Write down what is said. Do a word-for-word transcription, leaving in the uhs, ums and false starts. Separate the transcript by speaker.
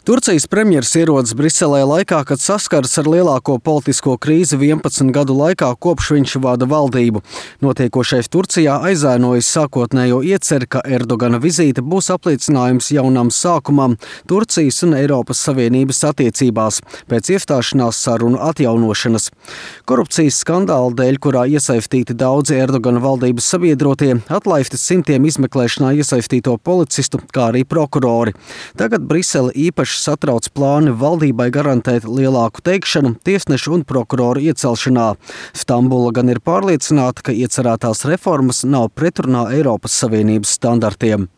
Speaker 1: Turcijas premjers ierodas Briselē laikā, kad saskaras ar lielāko politisko krīzi vienpadsmit gadu laikā, kopš viņš vada valdību. Notiekošais Turcijā aizēnojas sākotnējo ieceri, ka Erdogana vizīte būs apliecinājums jaunam sākumam Turcijas un Eiropas Savienības attiecībās pēc iestāšanās sarunu atjaunošanas. Korupcijas skandāla dēļ, kurā iesaistīti daudzi Erdogana valdības sabiedrotie, atlaisti simtiem izmeklēšanā iesaistīto policistu, kā arī prokurori. Tagad Brisele īpaši satrauc plāni valdībai garantēt lielāku teikšanu tiesnešu un prokuroru iecelšanā. Stambula gan ir pārliecināta, ka iecerētās reformas nav pretrunā Eiropas Savienības standartiem.